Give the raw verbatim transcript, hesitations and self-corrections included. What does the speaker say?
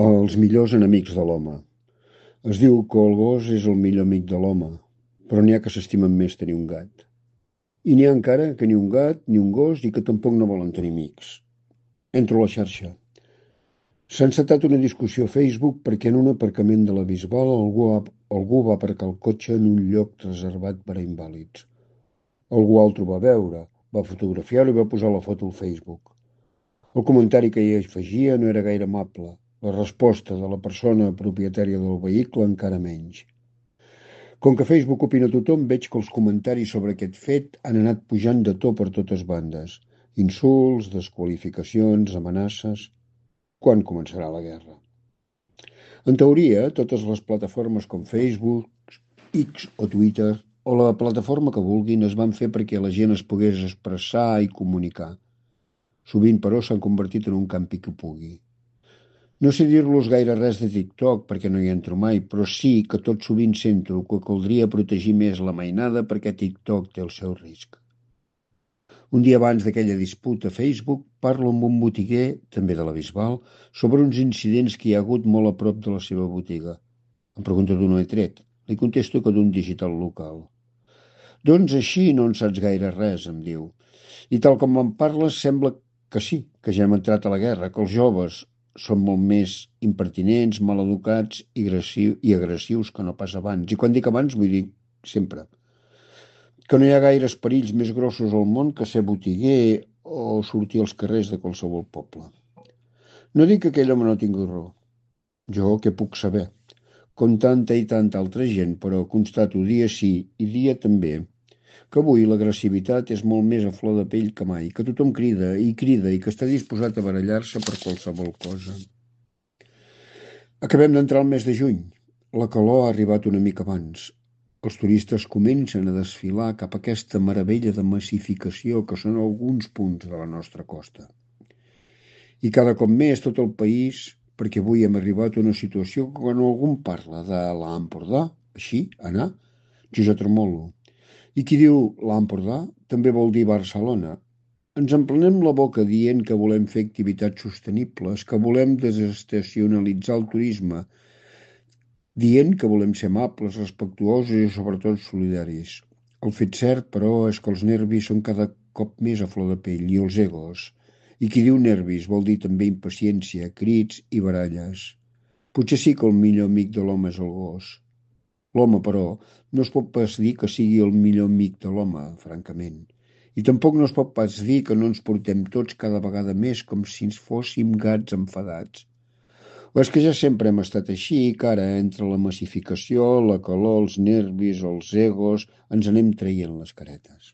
Els millors enemics de l'home. Es diu que el gos és el millor amic de l'home, però n'hi ha que s'estimen més tenir un gat. I n'hi ha encara que ni un gat ni un gos i que tampoc no volen tenir amics. Entro a la xarxa. S'ha encetat una discussió a Facebook perquè en un aparcament de la Bisbal algú, ha, algú va aparcar el cotxe en un lloc reservat per a invàlids. Algú altre ho va veure, va fotografiar-ho i va posar la foto al Facebook. El comentari que hi afegia no era gaire amable. La resposta de la persona propietària del vehicle encara menys. Com que Facebook opina tothom, veig que els comentaris sobre aquest fet han anat pujant de to per totes bandes. Insults, desqualificacions, amenaces. Quan començarà la guerra? En teoria, totes les plataformes com Facebook, X o Twitter, o la plataforma que vulguin, es van fer perquè la gent es pogués expressar i comunicar. Sovint, però, s'han convertit en un campi qui pugui. No sé dir-los gaire res de TikTok perquè no hi entro mai, però sí que tot sovint sento que caldria protegir més la mainada perquè TikTok té el seu risc. Un dia abans d'aquella disputa a Facebook parlo amb un botiguer, també de la Bisbal, sobre uns incidents que hi ha hagut molt a prop de la seva botiga. Em pregunta d'on ho he tret. Li contesto que d'un digital local. Doncs així no en saps gaire res, em diu. I tal com em parles, sembla que sí, que ja hem entrat a la guerra, que els joves són molt més impertinents, maleducats i, agressiu, i agressius que no pas abans. I quan dic abans vull dir sempre. Que no hi ha gaires perills més grossos al món que ser botiguer o sortir als carrers de qualsevol poble. No dic que aquell home no tingui raó. Jo què puc saber? Com tanta i tanta altra gent, però constato dia sí i dia també que avui l'agressivitat és molt més a flor de pell que mai, que tothom crida i crida i que està disposat a barallar-se per qualsevol cosa. Acabem d'entrar al mes de juny. La calor ha arribat una mica abans. Els turistes comencen a desfilar cap a aquesta meravella de massificació que són alguns punts de la nostra costa. I cada cop més tot el país, perquè avui hem arribat a una situació que quan algú parla de l'Empordà, així, anar, jo ja tremolo. I qui diu l'Empordà també vol dir Barcelona. Ens emplenem la boca dient que volem fer activitats sostenibles, que volem desestacionalitzar el turisme, dient que volem ser amables, respectuosos i sobretot solidaris. El fet cert, però, és que els nervis són cada cop més a flor de pell i els egos. I qui diu nervis vol dir també impaciència, crits i baralles. Potser sí que el millor amic de l'home és el gos. L'home, però, no es pot pas dir que sigui el millor amic de l'home, francament. I tampoc no es pot pas dir que no ens portem tots cada vegada més com si ens fóssim gats enfadats. O és que ja sempre hem estat així i que ara, entre la massificació, la calor, els nervis, els egos, ens anem traient les caretes.